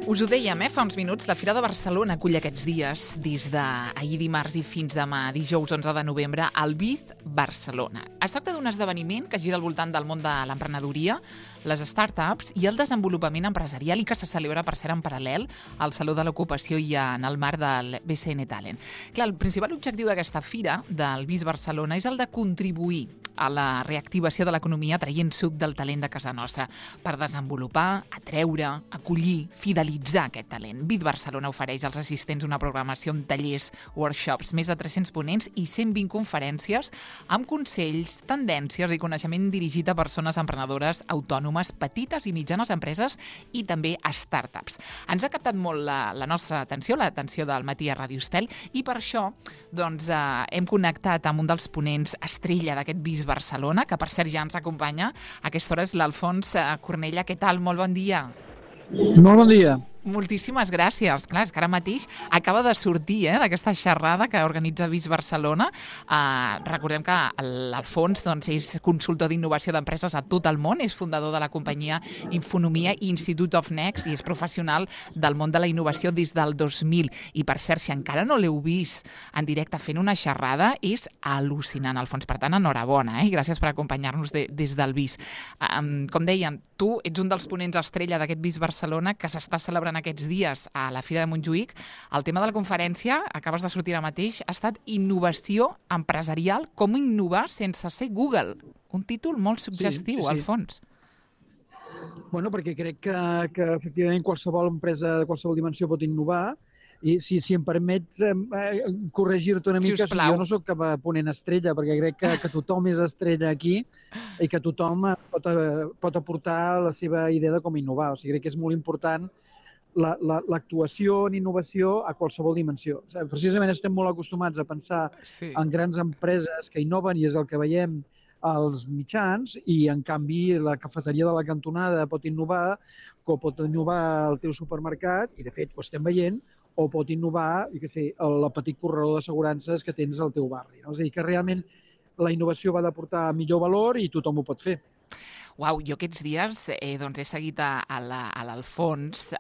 Us ho dèiem, fa uns minuts, la Fira de Barcelona acull aquests dies, des d'ahir dimarts i fins demà, dijous 11 de novembre, el BIZ Barcelona. Es tracta d'un esdeveniment que gira al voltant del món de l'emprenedoria, les startups i el desenvolupament empresarial i que se celebra, per cert, en paral·lel al Saló de l'Ocupació i en el marc del BCN Talent. Clar, el principal objectiu d'aquesta fira, del BIZ Barcelona, és el de contribuir a la reactivació de l'economia traient suc del talent de casa nostra per desenvolupar, atreure, acollir, fidelitzar aquest talent. BIZ Barcelona ofereix als assistents una programació amb tallers, workshops, més de 300 ponents i 120 conferències amb consells, tendències i coneixement dirigit a persones emprenedores autònomes, petites i mitjanes empreses i també a startups. Ens ha captat molt la nostra atenció, l'atenció del Matí a Ràdio Estel, i per això hem connectat amb un dels ponents estrella d'aquest BIZ Barcelona, que per cert ja ens acompanya. A aquesta hora és l'Alfons Cornella. Què tal? Molt bon dia. Molt bon dia. Moltíssimes gràcies. Clar, és que ara mateix acaba de sortir d'aquesta xerrada que organitza BIZ Barcelona. Recordem que l'Alfons és consultor d'innovació d'empreses a tot el món, és fundador de la companyia Infonomia i Institute of Next i és professional del món de la innovació des del 2000. I per cert, si encara no l'heu vist en directe fent una xerrada, és al·lucinant, Alfons. Per tant, enhorabona, i gràcies per acompanyar-nos des del BIZ. Com dèiem, tu ets un dels ponents estrella d'aquest BIZ Barcelona que s'està celebrant aquests dies a la Fira de Montjuïc. El tema de la conferència, acabes de sortir ara mateix, ha estat innovació empresarial, com innovar sense ser Google. Un títol molt suggestiu, sí. Alfons. Bueno, perquè crec que efectivament qualsevol empresa de qualsevol dimensió pot innovar, i si em permets corregir-te una mica, jo no soc cap ponent estrella, perquè crec que tothom és estrella aquí i que tothom pot aportar la seva idea de com innovar. O sigui, crec que és molt important l'actuació en innovació a qualsevol dimensió. Precisament estem molt acostumats a pensar en grans empreses que innoven i és el que veiem als mitjans, i en canvi la cafeteria de la cantonada pot innovar, com pot innovar el teu supermercat, i de fet ho estem veient, o pot innovar, el petit corredor d'assegurances que tens al teu barri. És a dir, que realment la innovació va d'aportar millor valor i tothom ho pot fer. Uau, jo aquests dies he seguit a l'Alfons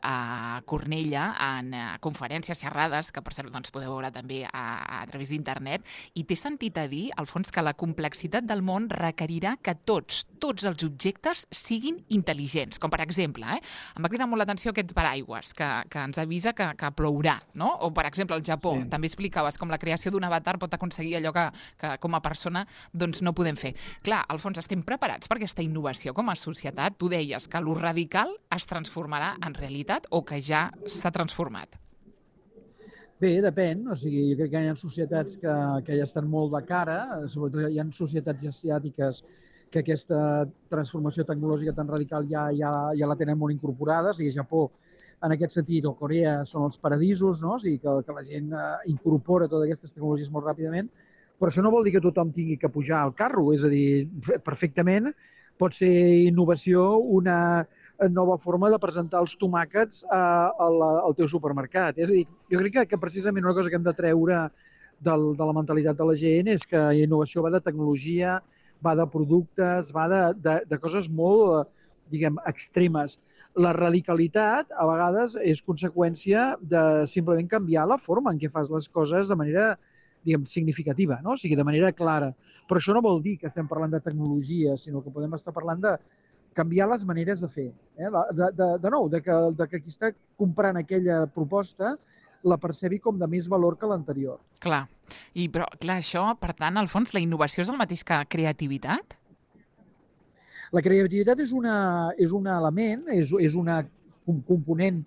Cornella en conferències, xerrades, que per cert podeu veure també a través d'internet, i t'he sentit a dir, Alfons, que la complexitat del món requerirà que tots els objectes siguin intel·ligents. Com per exemple, em va cridar molt l'atenció aquest paraigües que ens avisa que plourà, no? O per exemple, al Japó, també explicaves com la creació d'un avatar pot aconseguir allò que com a persona no podem fer. Clar, Alfons, estem preparats per aquesta innovació com a societat? Tu deies que lo radical es transformarà en realitat o que ja s'ha transformat? Bé, depèn. O sigui, jo crec que hi ha societats que ja estan molt de cara, sobretot hi ha societats asiàtiques que aquesta transformació tecnològica tan radical ja la tenen molt incorporada. O sigui, Japó, en aquest sentit, o Corea, són els paradisos, no? O sigui, que la gent incorpora totes aquestes tecnologies molt ràpidament, però això no vol dir que tothom tingui que pujar al carro. És a dir, perfectament pot ser innovació una nova forma de presentar els tomàquets al teu supermercat. És a dir, jo crec que precisament una cosa que hem de treure de la mentalitat de la gent és que la innovació va de tecnologia, va de productes, va de coses molt, extremes. La radicalitat, a vegades, és conseqüència de simplement canviar la forma en què fas les coses de manera significativa, no? O sigui, de manera clara. Però això no vol dir que estem parlant de tecnologia, sinó que podem estar parlant de canviar les maneres de fer. De que qui està comprant aquella proposta la percebi com de més valor que l'anterior. Clar. Però això, per tant, al fons, la innovació és el mateix que creativitat? La creativitat és un element, és un component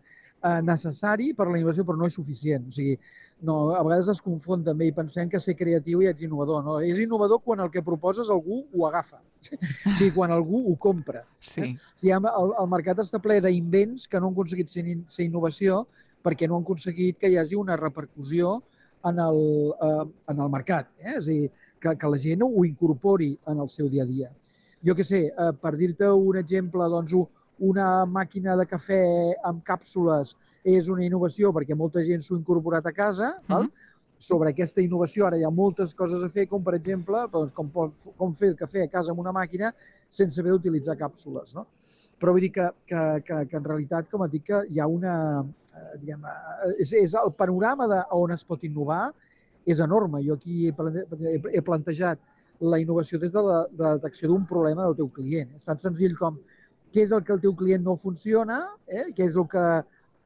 necessari per a la innovació, però no és suficient. O sigui, a vegades es confon també i pensem que ser creatiu ja ets innovador. No? És innovador quan el que proposes algú ho agafa, o sigui, quan algú ho compra. Sí. El mercat està ple d'invents que no han aconseguit ser innovació perquè no han aconseguit que hi hagi una repercussió en el mercat. És a dir, que la gent ho incorpori en el seu dia a dia. Jo què sé, per dir-te un exemple, doncs una màquina de cafè amb càpsules és una innovació perquè molta gent s'ho ha incorporat a casa. Sobre aquesta innovació ara hi ha moltes coses a fer, com per exemple com fer el cafè a casa amb una màquina sense haver d'utilitzar càpsules. No? Però vull dir que en realitat, com et dic, que hi ha una... és el panorama on es pot innovar és enorme. Jo aquí he plantejat la innovació des de la detecció d'un problema del teu client. És tan senzill com què és el que el teu client no funciona, què és el que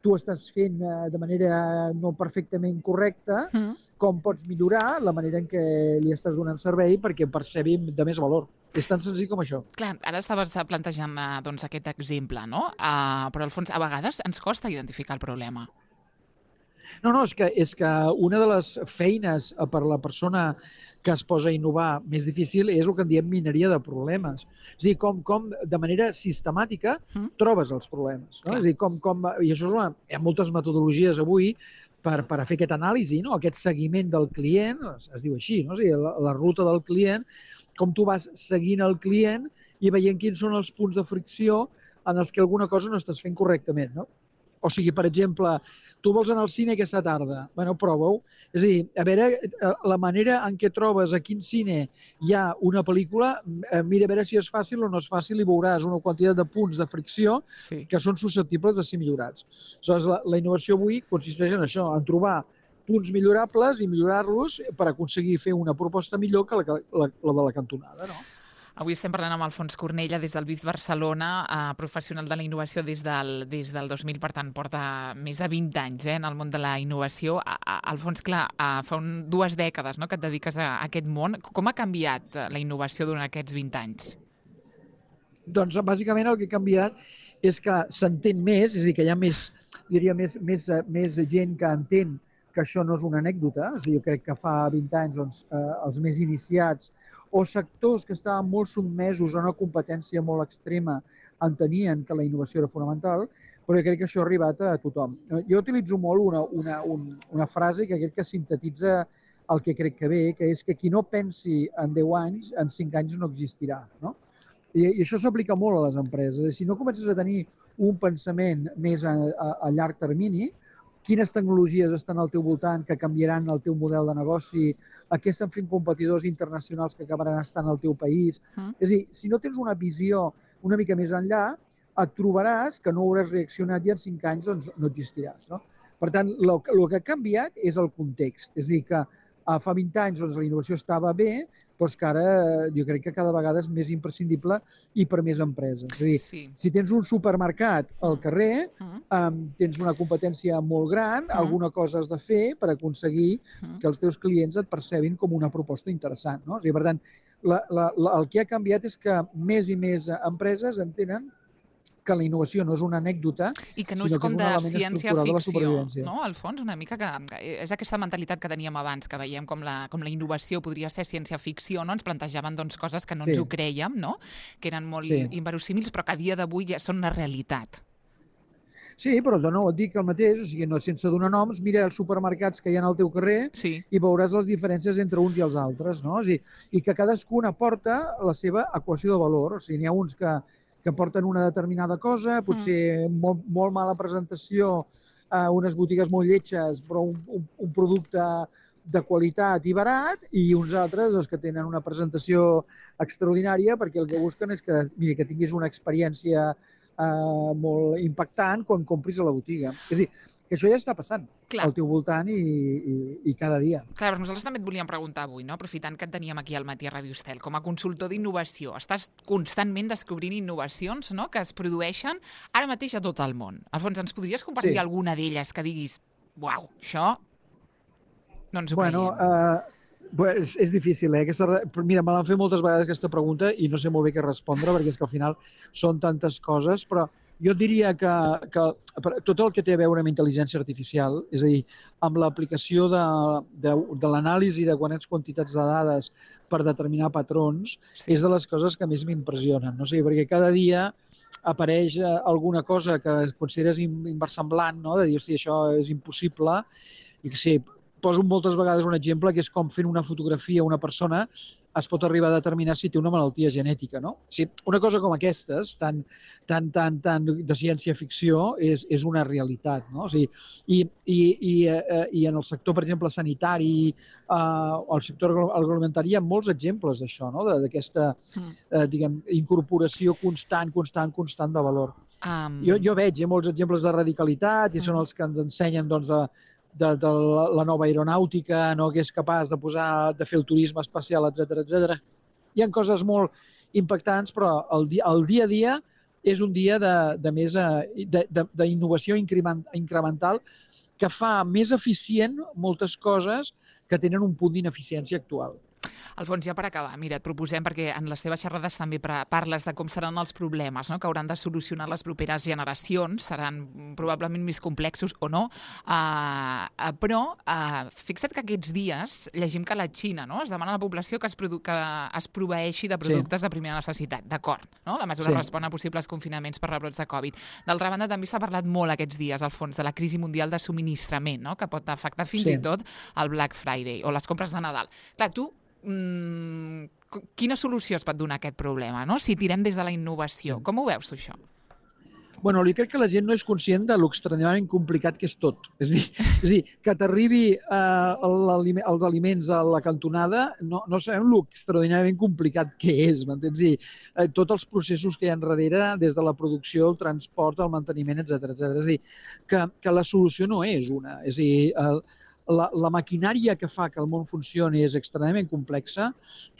tu estàs fent de manera no perfectament correcta, com pots millorar la manera en què li estàs donant servei perquè percebi de més valor. És tan senzill com això. Clar, ara estaves plantejant doncs, aquest exemple, no? Però al fons, a vegades ens costa identificar el problema. No, és que una de les feines per la persona que es posa a innovar més difícil és el que en diem mineria de problemes. És a dir, com de manera sistemàtica trobes els problemes. No? És a dir, i això hi ha moltes metodologies avui per fer aquest anàlisi, no? Aquest seguiment del client, es diu així, no? És a dir, la ruta del client, com tu vas seguint el client i veient quins són els punts de fricció en els que alguna cosa no estàs fent correctament. No? O sigui, per exemple, tu vols anar al cine aquesta tarda, bueno, prova-ho. És a dir, a veure, la manera en què trobes a quin cine hi ha una pel·lícula, mira a veure si és fàcil o no és fàcil i veuràs una quantitat de punts de fricció que són susceptibles de ser millorats. Aleshores, la innovació avui consisteix en això, en trobar punts millorables i millorar-los per aconseguir fer una proposta millor que la de la cantonada, no? Avui estem parlant amb Alfons Cornella des del BIF Barcelona, professional de la innovació des del 2000, per tant, porta més de 20 anys en el món de la innovació. Alfons, clar, fa 2 dècades que et dediques a aquest món. Com ha canviat la innovació durant aquests 20 anys? Doncs, bàsicament, el que ha canviat és que s'entén més, és a dir, que hi ha més gent que entén que això no és una anècdota. O sigui, jo crec que fa 20 anys doncs, els més iniciats o sectors que estaven molt sotmesos a una competència molt extrema entenien que la innovació era fonamental, però jo crec que això ha arribat a tothom. Jo utilitzo molt una frase que crec que sintetitza el que crec que ve, que és que qui no pensi en 10 anys, en 5 anys no existirà. No? I això s'aplica molt a les empreses. Si no comences a tenir un pensament més a llarg termini, quines tecnologies estan al teu voltant que canviaran el teu model de negoci, a què estan fent competidors internacionals que acabaran estant al teu país. És a dir, si no tens una visió una mica més enllà, et trobaràs que no hauràs reaccionat i en 5 anys doncs, no existiràs. No? Per tant, el que ha canviat és el context. És a dir, que fa 20 anys doncs, la innovació estava bé, però és que ara jo crec que cada vegada és més imprescindible i per més empreses. És a dir, si tens un supermercat al carrer, tens una competència molt gran, alguna cosa has de fer per aconseguir que els teus clients et percebin com una proposta interessant. No? O sigui, per tant, el que ha canviat és que més i més empreses entenen que la innovació no és una anècdota, i que no és com de ciència-ficció, no? Al fons, una mica que és aquesta mentalitat que teníem abans, que veiem com la innovació podria ser ciència-ficció, no? Ens plantejaven doncs, coses que no ens ho crèiem, no? Que eren molt inverosímils, però que a dia d'avui ja són una realitat. Sí, però no et dic el mateix, o sigui, no, sense donar noms, mira els supermercats que hi ha al teu carrer i veuràs les diferències entre uns i els altres, no? O sigui, i que cadascun aporta la seva equació de valor, o sigui, n'hi ha uns que porten una determinada cosa, potser molt mala presentació, unes botigues molt lletges, però un producte de qualitat i barat, i uns altres doncs, que tenen una presentació extraordinària perquè el que busquen és que tinguis una experiència molt impactant quan compris a la botiga. És a dir, que això ja està passant al teu voltant i cada dia. Clar, nosaltres també et volíem preguntar avui, no? Aprofitant que et teníem aquí al matí a Ràdio Estel, com a consultor d'innovació, estàs constantment descobrint innovacions, no?, que es produeixen ara mateix a tot el món. Alfons, ens podries compartir alguna d'elles que diguis, uau, això no ens ho creiem? Pues és difícil, Mira, me l'han fet moltes vegades aquesta pregunta i no sé molt bé què respondre, perquè és que al final són tantes coses, però jo diria que tot el que té a veure amb intel·ligència artificial, és a dir, amb l'aplicació de l'anàlisi de quantitats de dades per determinar patrons, és de les coses que més m'impressionen. No? Perquè cada dia apareix alguna cosa que consideres inversemblant, no? De dir, hosti, això és impossible, i que sí, poso moltes vegades un exemple que és com fent una fotografia a una persona es pot arribar a determinar si té una malaltia genètica, no? O sigui, una cosa com aquestes, tan de ciència-ficció, és una realitat, no? O sigui, i en el sector, per exemple, sanitari, o el sector agroalimentari, hi ha molts exemples d'això, no? D'aquesta, diguem, incorporació constant de valor. Jo veig molts exemples de radicalitat i són els que ens ensenyen, doncs, de la nova aeronàutica, no, que és capaç de fer el turisme espacial, etc. Hi ha coses molt impactants, però el dia a dia és un dia d'innovació incremental que fa més eficient moltes coses que tenen un punt d'ineficiència actual. Alfons, ja per acabar, mira, et proposem, perquè en les teves xerrades també parles de com seran els problemes, no?, que hauran de solucionar les properes generacions, seran probablement més complexos o no, però fixa't que aquests dies llegim que a la Xina, no?, es demana a la població que es proveeixi de productes de primera necessitat, d'acord, no? La mesura respon a possibles confinaments per rebrots de Covid. D'altra banda, també s'ha parlat molt aquests dies, Alfons, de la crisi mundial de subministrament, no?, que pot afectar fins i tot el Black Friday o les compres de Nadal. Clar, tu quina solució es pot donar a aquest problema, no?, si tirem des de la innovació? Com ho veus, tu, això? Bueno, jo crec que la gent no és conscient de l'extraordinàriament complicat que és tot. És a dir, que t'arribi els aliments a la cantonada, no sabem l'extraordinàriament complicat que és, m'entens? Tots els processos que hi ha darrere, des de la producció, el transport, el manteniment, etc. És a dir, que la solució no és una. És a dir, la maquinària que fa que el món funcioni és extremadament complexa,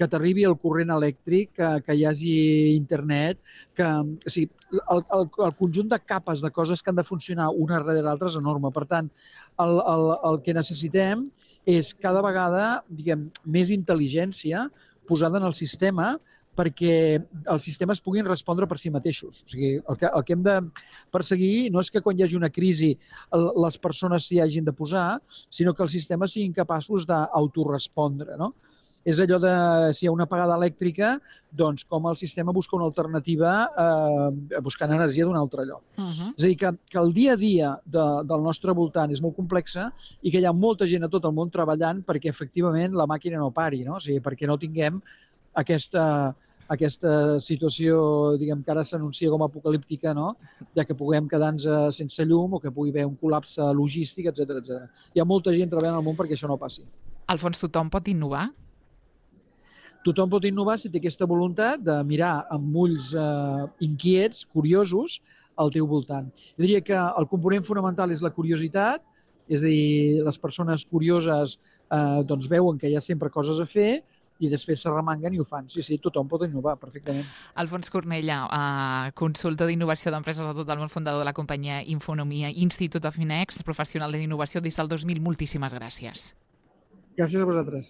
que t'arribi el corrent elèctric, que hi hagi internet, o sigui, el conjunt de capes de coses que han de funcionar una darrere l'altra és enorme. Per tant, el que necessitem és cada vegada, diguem, més intel·ligència posada en el sistema perquè els sistemes puguin respondre per si mateixos. O sigui, el que hem de perseguir no és que quan hi hagi una crisi les persones s'hi hagin de posar, sinó que els sistemes siguin capaços d'autorespondre, no? És allò de, si hi ha una apagada elèctrica, doncs com el sistema busca una alternativa buscant energia d'un altre lloc. És a dir, que el dia a dia del nostre voltant és molt complexa i que hi ha molta gent a tot el món treballant perquè efectivament la màquina no pari, no? O sigui, perquè no tinguem aquesta situació, diguem, que ara s'anuncia com apocalíptica, no?, ja que puguem quedar-nos sense llum o que pugui haver un col·lapse logístic, etc. Hi ha molta gent treballant al món perquè això no passi. Alfons, tothom pot innovar? Tothom pot innovar si té aquesta voluntat de mirar amb ulls inquiets, curiosos, al teu voltant. Jo diria que el component fonamental és la curiositat, és a dir, les persones curioses doncs veuen que hi ha sempre coses a fer i després s'arremanguen i ho fan. Sí, tothom pot innovar perfectament. Alfons Cornella, consultor d'innovació d'empreses a tot el món, fundador de la companyia Infonomia Institute of Inext, professional d'innovació des del 2000. Moltíssimes gràcies. Gràcies a vosaltres.